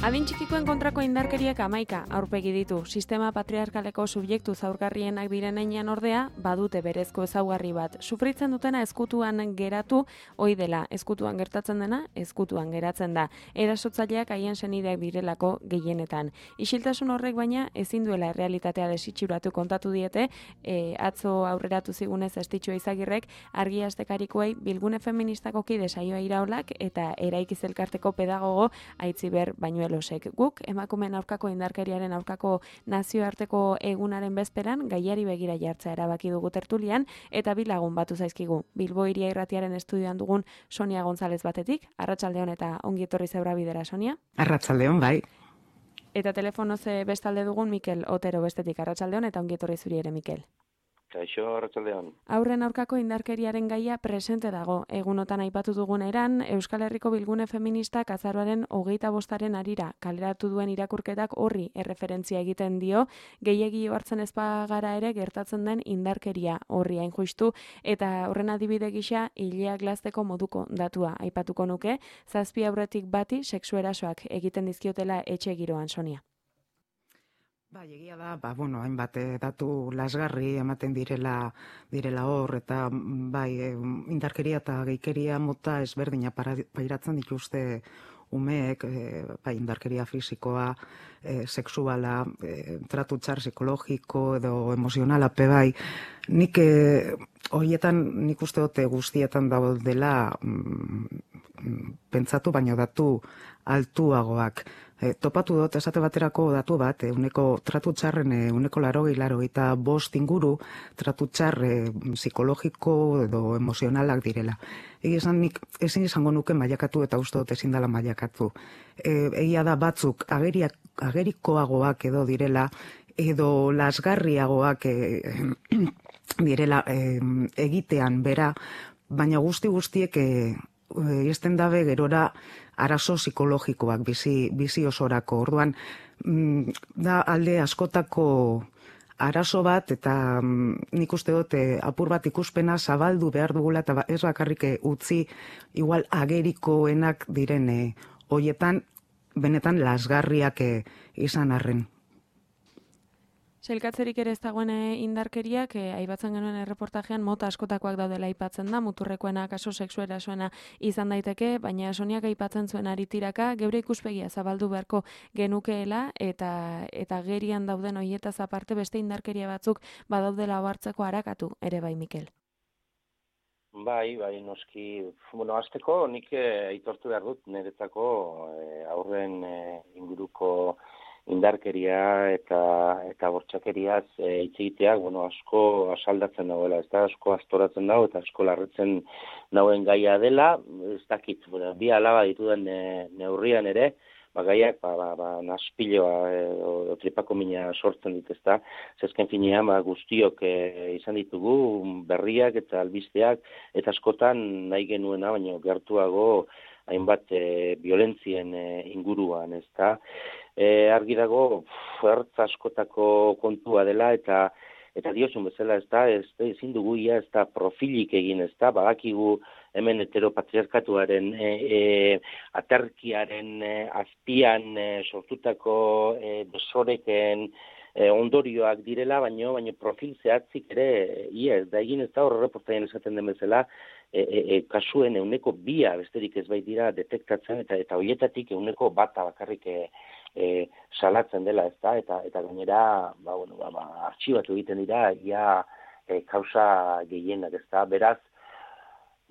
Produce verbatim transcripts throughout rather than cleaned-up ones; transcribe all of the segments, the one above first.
Adin txikikoen kontrako indarkeriak hamaika aurpegi ditu. Sistema patriarkaleko subjektu zaurgarrienak diren heinean ordea, badute berezko ezaugarri bat. Sufritzen dutena ezkutuan geratu, ohi dela, ezkutuan gertatzen dena, ezkutuan geratzen da. Erasotzaileak haien senideak direlako gehienetan. Isiltasun horrek baina ezin duela errealitatea desitxuratu kontatu diete, e, atzo aurreratu zigunez Astitxo Izagirrek argi astekarikoei Bilgune Feministako kide Saioa Iraolak eta Eraikiz Elkarteko pedagogo Aitziber Bañuelosek. Guk emakumeen aurkako indarkeriaren aurkako nazioarteko egunaren bezperan gaiari begira jartzea erabaki dugu tertulian eta bi lagun batu zaizkigu. Bilbo Hiria Irratiaren estudioan dugun Sonia González batetik, arratsaldeon eta ongi etorri zeura bidera, Sonia. Arratsaldeon, bai. Eta telefonoz bestalde dugun Mikel Otero bestetik, arratsaldeon eta ongi etorri zuri ere, Mikel. Kaixo, arratsaldeon. Aurren aurkako indarkeriaren gaia presente dago. Egunotan aipatu dugun eran, Euskal Herriko Bilgune Feministak azaroaren hogeita bostaren arira kaleratu duen irakurketak horri erreferentzia egiten dio, gehiegi hartzen ezpagara ere gertatzen den indarkeria horri hain justu, eta horren adibide gisa hileak glazteko moduko datua aipatuko nuke, zazpi aurretik bati sexu erasoak egiten dizkiotela etxe giroan, Sonia. Ba, egia da, ba, bueno, hainbat datu lasgarri ematen direla direla hor, eta bai, indarkeria eta geikeria mota ezberdina pairatzen dituzte umeek, e, bai, indarkeria fisikoa, e, sexuala, e, tratu txar psikologiko edo emozionala pe bai. Nik e, horietan, nik uste dute guztietan daudela mm, pentsatu, baino datu altuagoak. E, topatu dut esate baterako datu bat, euneko tratu txarren euneko larogei larogei eta bost inguru tratu txarre psikologiko edo emozionalak direla. Egi esan nik ezin izango nuke mailakatu eta uste dut ezin dela mailakatu. E, egia da batzuk ageriak, agerikoagoak edo direla, edo lasgarriagoak e, direla e, egitean bera, baina guzti guztiek e, izten dabe gerora arazo psikologikoak bizi, bizi osorako. Orduan, da alde askotako arazo bat, eta nik uste dut apur bat ikuspena zabaldu behar dugula, eta ez bakarrik utzi igual agerikoenak direne hoietan, benetan lasgarriak izan arren. Sailkatzerik ere ez dagoen indarkeriak, eh, aipatzen genuen erreportajean mota askotakoak daudela aipatzen da, muturrekoena, kaso sexu erasoena izan daiteke, baina Soniak aipatzen zuen aritiraka, geure ikuspegia zabaldu beharko genukeela, eta eta gerian dauden hoietaz aparte beste indarkeria batzuk badaudela ohartzeko arakatu ere bai, Mikel. Bai, bai, noski, bueno, hasteko nik aitortu behar dut niretzako eh, aurren eh, inguruko indarkeria eta eta bortxakeriaz hitz e, egiteak, bueno, asko asaldatzen dagoela, ez da, asko astoratzen dago eta asko larritzen dauen gaia dela, ez dakit, bueno, bi alaba dituden e, neurrian ere, ba, gaiak, ba, ba, ba naspiloa e, o, o tripako mina sortzen dit, ez da, zezken finean, ba, guztiok e, izan ditugu, berriak eta albisteak, eta askotan nahi genuena, baina gertuago hainbat e, violentzien e, inguruan, ez da, E, argi dago ertz askotako kontua dela eta eta diozun bezala ez da, ez da, ezin dugu ia ez da profilik egin ez da, badakigu hemen heteropatriarkatuaren e, e, aterkiaren e, azpian e, sortutako e, desoreken e, ondorioak direla, baino, baino profil zehatzik ere ia ez da egin ez da, horre reportaien esaten den bezala, E, e, e, kasuen euneko bia besterik ez baitira detektatzen eta eta hoietatik euneko bata bakarrik e, e, salatzen dela, ez da, eta eta gainera, ba, bueno, ba, ba, artxibatu egiten dira, ia e, kausa gehienak, ez da, beraz,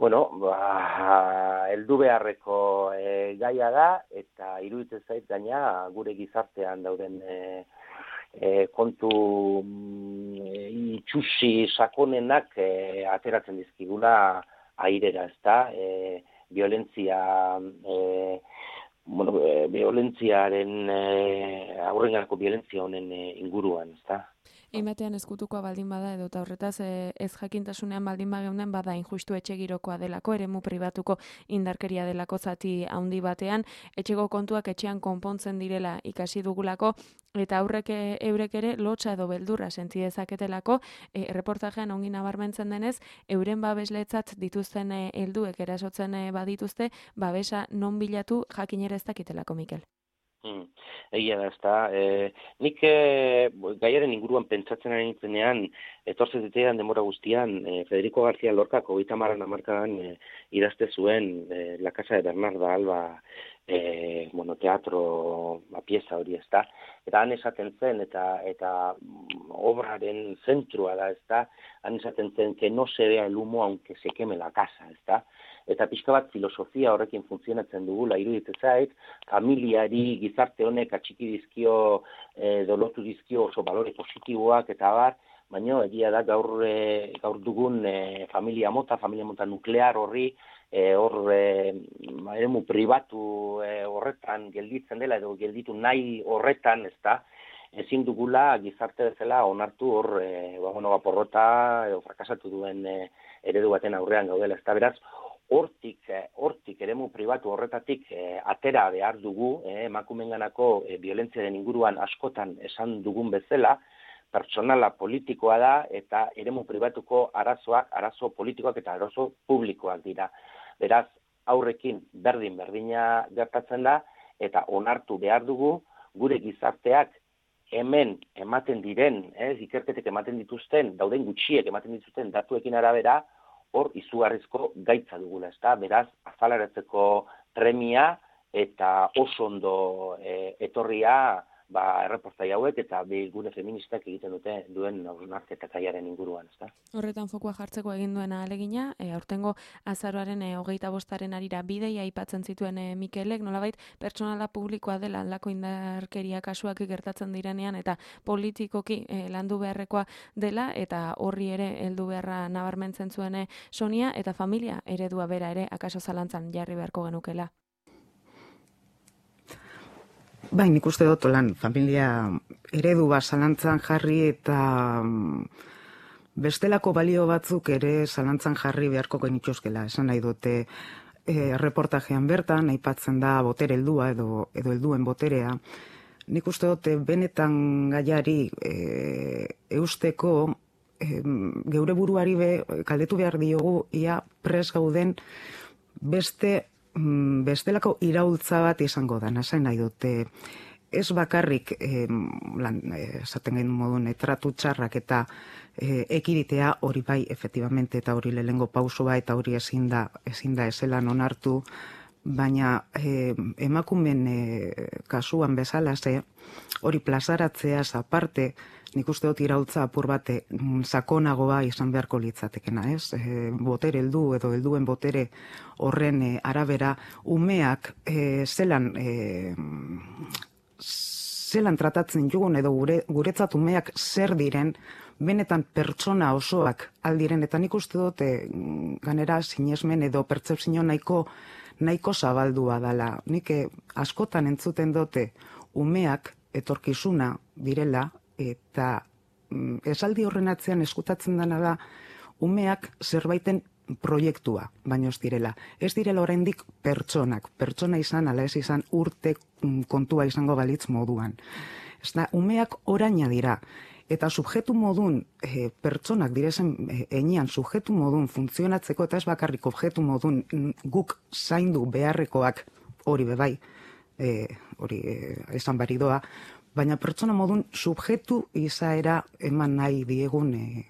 bueno, ba, heldu beharreko e, gaia da, eta iruditzen zait gaina gure gizartean dauden e, e, kontu e, itxusi sakonenak e, ateratzen dizkigula airera, ez da, e, violentzia, e, bueno, e, violentziaren, e, aurrengarako violentzia honen e, inguruan, ez da. Einbatean eskutukoa baldin bada edo eta horretaz e, ez jakintasunean baldin bageunden bada injustu etxe girokoa delako, eremu pribatuko indarkeria delako zati handi batean, etxeko kontuak etxean konpontzen direla ikasi dugulako, eta aurrek eurek ere lotsa edo beldurra senti dezaketelako, e, reportajean ongi nabarmentzen denez, euren babesletzat dituzten helduek erasotzen e, badituzte, babesa non bilatu jakin ere ez dakitelako, Mikel. Hmm. Egia da, ezta. E, nik e, gaiaren inguruan pentsatzen ari nintzenean, etortzen ditean demora guztian, e, Federico García Lorcak hogeita hamarren hamarkadan e, idazte zuen e, La Casa de Bernarda Alba e, bueno, teatro ba, pieza hori, ezta. Eta han esaten zen, eta eta obraren zentrua da, ezta. Han esaten zen, que no se vea el humo aunque se queme la casa, ezta. Eta pixka bat filosofia horrekin funtzionatzen dugula iruditzen zait, familiari gizarte honek atxiki dizkio, e, dolotu dizkio oso balore positiboak eta bar, baina egia da gaur, e, gaur dugun e, familia mota, familia mota nuklear horri, e, hor e, eremu pribatu e, horretan gelditzen dela edo gelditu nahi horretan, ez da, ezin dugula gizarte bezala onartu hor, e, ba, bueno, porrota edo frakasatu duen e, eredu baten aurrean gaudela, ez da, beraz, hortik, hortik eremu pribatu horretatik eh, atera behar dugu, eh, emakumenganako eh, violentziaren inguruan askotan esan dugun bezala, pertsonala politikoa da eta eremu pribatuko arazoak, arazo politikoak eta arazo publikoak dira. Beraz, aurrekin berdin berdina gertatzen da eta onartu behar dugu gure gizarteak hemen ematen diren, eh, ikerketek ematen dituzten, dauden gutxiek ematen dituzten datuekin arabera, hor izugarrizko gaitza dugula, ezta? Beraz, azaleratzeko premia eta oso ondo e, etorria ba, erreportai hauek eta gune feministak egiten dute duen hausnarketakaiaren inguruan, ezta? Horretan fokua jartzeko egin duena ahalegina, e, aurtengo azaroaren e, hogeita bostaren arira bideia aipatzen zituen e, Mikelek, nolabait pertsonala publikoa dela aldako indarkeria kasuak gertatzen direnean eta politikoki e, landu beharrekoa dela eta horri ere heldu beharra nabarmentzen zuen e, Sonia eta familia eredua bera ere akaso zalantzan jarri beharko genukela. Bai, nik uste dut lan familia eredu bat zalantzan jarri eta bestelako balio batzuk ere zalantzan jarri beharko genituzkela. Esan nahi dute e, reportajean bertan, aipatzen da botere heldua edo, edo helduen boterea. Nik uste dut benetan gaiari e, eusteko e, geure buruari be, kaldetu behar diogu ia pres gauden beste bestelako iraultza bat izango da, nasain nahi dute. Ez bakarrik, eh, lan, esaten gain modun, tratu txarrak eta eh, ekiditea hori bai, efectivamente, eta hori lehengo pausua eta hori ezin da, ezin da ezelan onartu, baina eh, emakumen eh, kasuan bezala ze, hori plazaratzeaz aparte, nik uste dut iraultza apur bate sakonagoa izan beharko litzatekena, ez? E, botere heldu edo helduen botere horren e, arabera umeak e, zelan e, zelan tratatzen jugun edo gure, guretzat umeak zer diren benetan pertsona osoak aldiren eta nik uste dut e, ganera sinesmen edo pertzepzio nahiko nahiko zabaldua dala. Nik e, askotan entzuten dute umeak etorkizuna direla eta mm, esaldi horren atzean eskutatzen dena da umeak zerbaiten proiektua, baino ez direla. Ez direla oraindik pertsonak, pertsona izan ala ez izan urte mm, kontua izango balitz moduan. Ez da, umeak oraina dira, eta subjetu modun, e, pertsonak direzen e, enean subjetu modun funtzionatzeko eta ez bakarrik objektu modun guk zaindu beharrekoak hori bebai, e, hori e, esan baridoa, baina pertsona modun subjetu izaera eman nahi diegun e,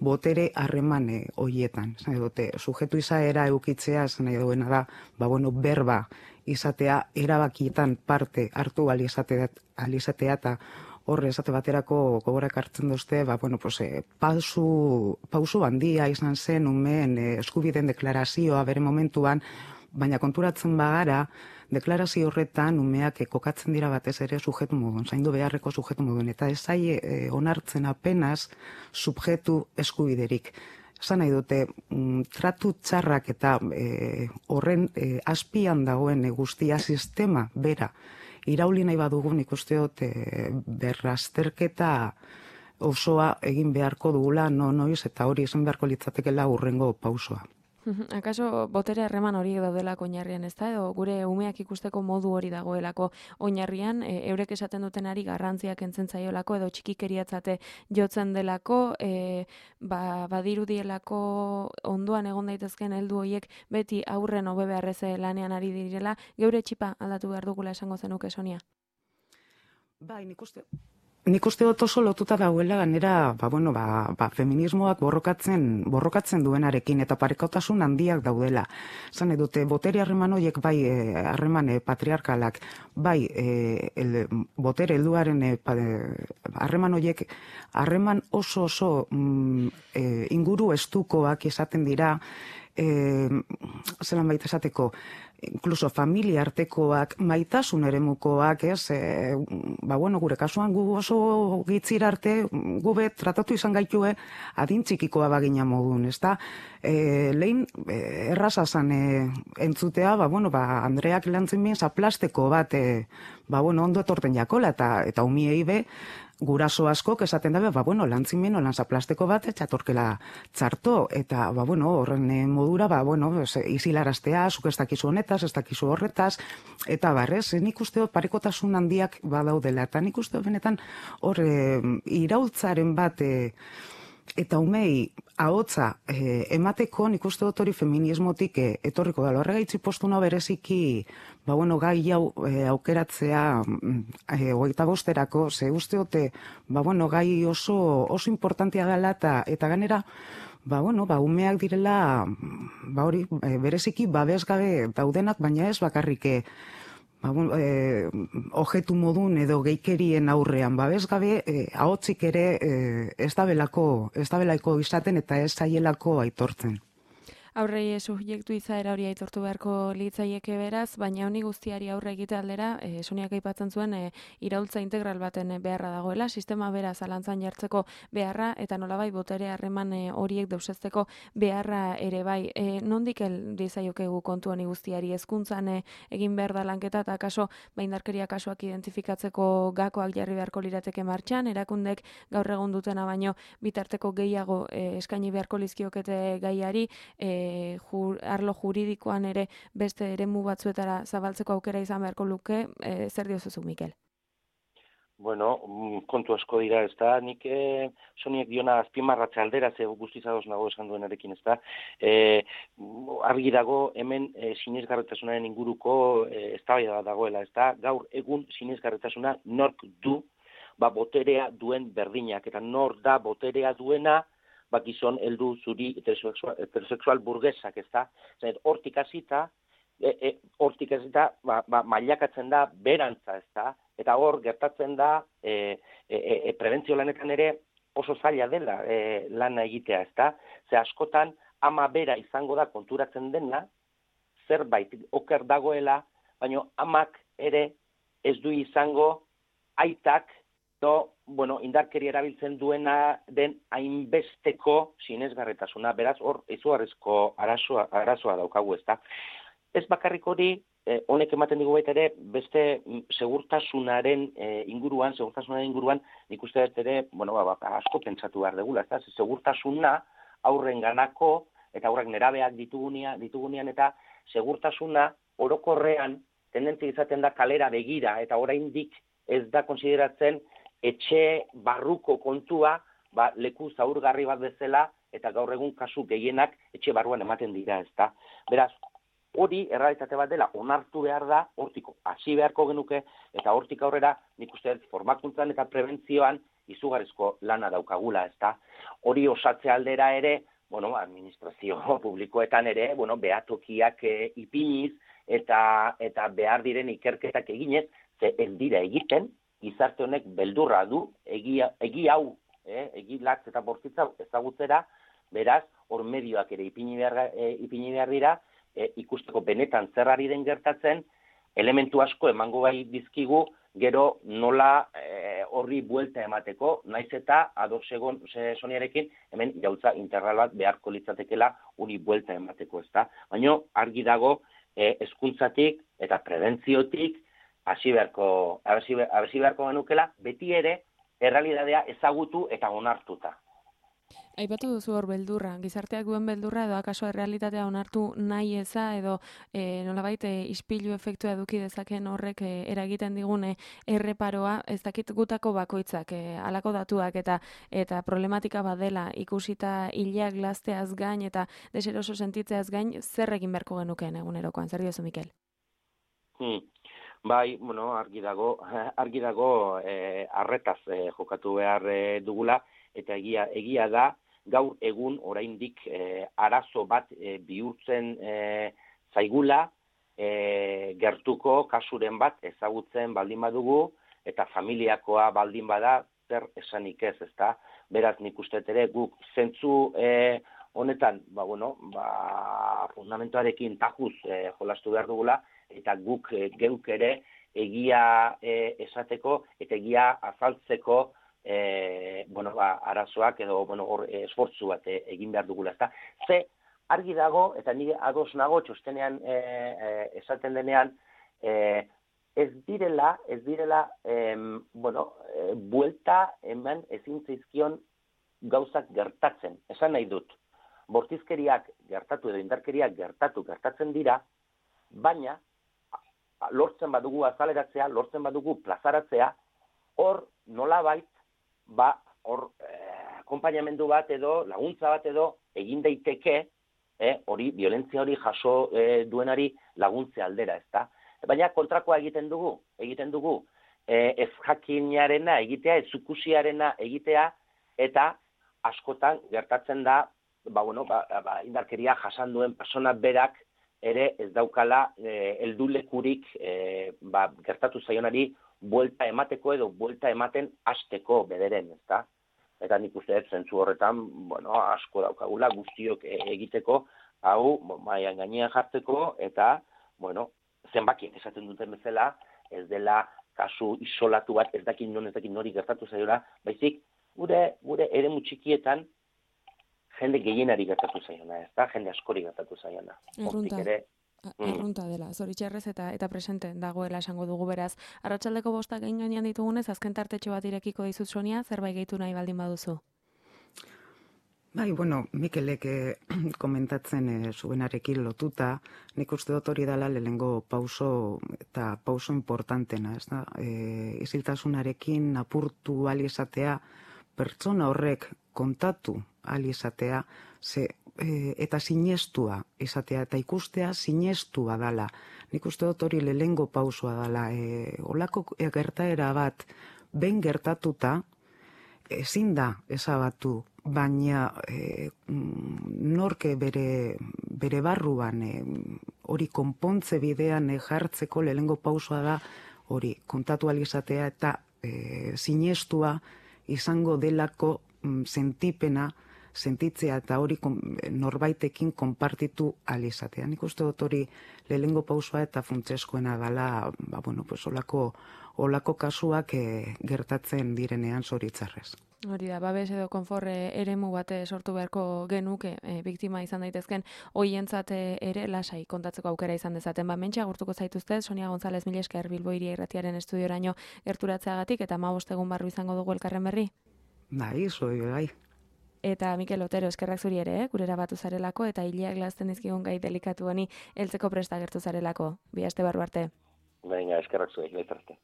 botere harreman e, hoietan. Zan dute, subjetu izaera eukitzea, zan nahi duena da, ba, bueno, berba izatea, erabakietan parte hartu alizatea, alizatea eta horre esate baterako gogorak hartzen duzte, ba, bueno, pues, e, pausu, pausu handia izan zen umeen e, eskubideen deklarazioa bere momentuan, baina konturatzen bagara, deklarazio horretan umeak kokatzen dira batez ere sujetu modun, zaindu beharreko sujetu modun, eta ez zaie e, onartzen apenas subjetu eskubiderik. Esan nahi dute, mm, tratu txarrak eta e, horren e, azpian dagoen e, guztia sistema bera irauli nahi badugu nik uste dut e, berrazterketa osoa egin beharko dugula no noiz eta hori izan beharko litzatekeela hurrengo pausoa. Akaso botere harreman horiek daudelako oinarrian, ez da? Edo gure umeak ikusteko modu hori dagoelako oinarrian, e, eurek esaten dutenari garrantziak entzen zaiolako edo txikikeriatzate jotzen delako, e, ba, badirudielako ondoan egon daitezken heldu horiek beti aurren hobe beharrez lanean ari direla, geure txipa aldatu behar dugula esango zenuke, Sonia? Bai, nik uste... Nik uste dut oso lotuta dagoela ganera, ba, bueno, ba, ba, feminismoak borrokatzen, borrokatzen duenarekin eta parekotasun handiak daudela. Zan edute, botere harreman horiek bai harreman e, patriarkalak, bai e, el, botere helduaren harreman e, horiek harreman oso oso mm, e, inguru estukoak izaten dira, e, zelan baita esateko, incluso familia artekoak, maitasun eremukoak, ez, e, ba, bueno, gure kasuan gu oso gitzira arte, gube tratatu izan gaitue adin txikikoa bagina modun, ez da, e, lehin e, erraza zan e, entzutea, ba, bueno, ba, Andreak lantzen bien zaplasteko bat, e, ba, bueno, ondo etorten jakola, eta, eta umiei be, guraso askok esaten dabe, ba, bueno, lantzimeno lanzaplasteko bat, etxatorkela txarto, eta, ba, bueno, horren modura, ba, bueno, izilaraztea, zuk ez dakizu honetaz, ez dakizu horretaz, eta barrez, nik uste dut parekotasun handiak badaudela, eta nik uste dut benetan hor e, iraultzaren bat, e, eta umei ahotza e, emateko nik uste dut hori feminismotik e, etorriko dela. Horregaitzi postuna bereziki, ba bueno, gai hau e, aukeratzea e, hogeita bosterako, ze uste dute, ba bueno, gai oso oso importantea dela eta eta ganera, ba bueno, ba umeak direla, ba hori, e, bereziki babesgabe daudenak, baina ez bakarrik ba, bueno, e, ojetu modun edo geikerien aurrean babesgabe, e, ahotzik ere e, ez da belako, ez da belako izaten eta ez zaielako aitortzen. Aurrei subjektu izaera hori aitortu beharko litzaieke beraz, baina honi guztiari aurre egite aldera, e, Soniak aipatzen zuen e, iraultza integral baten beharra dagoela, sistema bera zalantzan jartzeko beharra eta nolabai botere harreman e, horiek deusezteko beharra ere bai. E, nondik heldu zaiokegu kontu honi guztiari hezkuntzan e, egin behar da lanketa eta kaso baindarkeria kasuak identifikatzeko gakoak jarri beharko lirateke martxan, erakundek gaur egun dutena baino bitarteko gehiago e, eskaini beharko lizkiokete gaiari, e, Jur, arlo juridikoan ere beste eremu batzuetara zabaltzeko aukera izan beharko luke, e, zer diozuzu, Mikel? Bueno, kontu asko dira, ez da, nik e, Soniek diona azpimarratze aldera, ze guztizadoz nago esan duenarekin, ez da, e, argi dago hemen e, sinesgarritasunaren inguruko e, eztabaida dagoela, ez da, gaur egun sinesgarritasuna nork du, ba, boterea duen berdinak, eta nor da boterea duena, ba, gizon heldu zuri heterosexual, heterosexual burgesak, ez da? Hortik hasita, e, e, hortik hasita, ba, ba, mailakatzen da berantza, ez da? Eta hor gertatzen da, e, e, e, prebentzio lanetan ere oso zaila dela e, lana egitea, ez da? Ze askotan, ama bera izango da konturatzen dena, zerbait oker dagoela, baina amak ere ez du izango aitak, do, bueno, indarkeria erabiltzen duena den hainbesteko sinesgarritasuna, beraz, hor, izugarrizko arazoa, arazoa daukagu, ez da. Ez bakarrik hori, eh, honek ematen digu baita ere, beste segurtasunaren eh, inguruan, segurtasunaren inguruan, nik uste dut ere, bueno, ba, ba, asko pentsatu behar degula, ez da, segurtasuna aurren ganako, eta aurrak nerabeak ditugunean, ditugunean, eta segurtasuna orokorrean tendentzia izaten da kalera begira, eta oraindik ez da konsideratzen etxe barruko kontua, ba, leku zaurgarri bat bezala, eta gaur egun kasu gehienak etxe barruan ematen dira, ez da. Beraz, hori errealitate bat dela, onartu behar da, hortiko hasi beharko genuke, eta hortik aurrera, nik uste formakuntzan eta prebentzioan izugarrizko lana daukagula, ez da. Hori osatze aldera ere, bueno, administrazio publikoetan ere, bueno, behatokiak e, ipiniz, eta, eta behar diren ikerketak eginez, ze ez dira egiten, gizarte honek beldurra du, egi, egi hau, eh, egi latz eta bortzitza ezagutzera, beraz, hor medioak ere ipini behar, e, ipini behar dira, e, ikusteko benetan zerrari den gertatzen, elementu asko emango bai dizkigu, gero nola e, horri buelta emateko, naiz eta ados egon Soniarekin, hemen jautza integral bat beharko litzatekela hori buelta emateko, ezta. Baina argi dago, e, hezkuntzatik eta prebentziotik, hasi beharko, hasi beharko genukela, beti ere errealitatea ezagutu eta onartuta. Aipatu duzu hor beldurra, gizarteak duen beldurra edo akaso errealitatea onartu nahi eza edo e, nolabait e, ispilu efektua eduki dezaken horrek e, eragiten digune erreparoa, ez dakit gutako bakoitzak e, halako datuak eta eta problematika badela ikusita hileak gazteaz gain eta deseroso sentitzeaz gain, zer egin beharko genukeen egunerokoan, zer diozu Mikel? Hmm. Bai, bueno, argi dago, argi dago eh, arretaz eh, jokatu behar eh, dugula, eta egia, egia da, gaur egun oraindik eh, arazo bat eh, bihurtzen eh, zaigula, eh, gertuko kasuren bat ezagutzen baldin badugu, eta familiakoa baldin bada, zer esanik ez, ezta? Beraz, nik uste ere guk zentzu eh, honetan, ba, bueno, ba, fundamentoarekin tajuz eh, jolastu behar dugula, eta guk e, geuk ere egia e, esateko eta egia azaltzeko e, bueno, ba, arazoak edo bueno, hor e, esfortzu bat e, egin behar dugula. Ezta? Ze argi dago, eta nire ados nago txostenean e, e, esaten denean, e, ez direla, ez direla, e, bueno, e, buelta eman ezin zaizkion gauzak gertatzen. Esan nahi dut, bortizkeriak gertatu edo indarkeriak gertatu gertatzen dira, baina lortzen badugu azaleratzea, lortzen badugu plazaratzea, hor nolabait, ba, hor eh, akompainamendu bat edo, laguntza bat edo, egin daiteke, eh, hori, violentzia hori jaso eh, duenari laguntze aldera, ezta? Baina kontrakoa egiten dugu, egiten dugu, eh, ez jakinarena egitea, ez zukusiarena egitea, eta askotan gertatzen da, ba, bueno, ba, ba, indarkeria jasan duen persona berak, ere ez daukala e, heldulekurik e, ba, gertatu zaionari buelta emateko edo buelta ematen hasteko bederen, ezta? Eta nik uste dut zentzu horretan, bueno, asko daukagula guztiok e, egiteko, hau mailan gainean jartzeko eta, bueno, zenbakiek esaten duten bezala, ez dela kasu isolatu bat, ez dakin non ez dakin nori gertatu zaiora, baizik gure gure eremu txikietan jende gehienari gertatu zaiona, ez da? Jende askori gertatu zaiona. Errunta, ere, errunta dela, zoritxarrez eta eta presente dagoela esango dugu beraz. Arratsaldeko bostak egin gainean ditugunez, azken tartetxo bat irekiko dizut Sonia, zerbait gehitu nahi baldin baduzu. Bai, bueno, Mikelek eh, komentatzen eh, zuenarekin lotuta, nik uste dut hori dela lehengo pauso eta pauso importantena, ez da? E, isiltasunarekin apurtu ahal izatea, pertsona horrek kontatu ahal izatea, ze, e, eta sinestua izatea, eta ikustea sinestua dala. Nik uste dut hori lehengo pausoa dala. E, olako gertaera bat, ben gertatuta, ezin da ezabatu, baina e, norke bere, bere barruan e, hori konpontze bidean e, jartzeko lehengo pausoa da, hori kontatu ahal izatea eta e, sinestua izango delako mm, sentipena, sentitzea eta hori norbaitekin konpartitu ahal izatea. Nik uste dut hori lehengo pausoa eta funtseskoena dela, ba, bueno, pues, olako, olako kasuak e, gertatzen direnean zoritzarrez. Hori da, babes edo konforre eremu bate sortu beharko genuke e, biktima izan daitezken hoientzat ere lasai kontatzeko aukera izan dezaten. Ba, mentxe agurtuko zaituzte, Sonia González mila esker Bilbo Hiria Irratiaren estudioraino gerturatzeagatik eta hamabost egun barru izango dugu elkarren berri. Bai, zoi, bai. Eta Mikel Otero, eskerrak zuri ere, eh? Gurera batu zarelako eta hileak lazten dizkigun gai delikatu honi heltzeko presta gertu zarelako. Bi aste barru arte. Venga, eskerrak zuri, laizarte.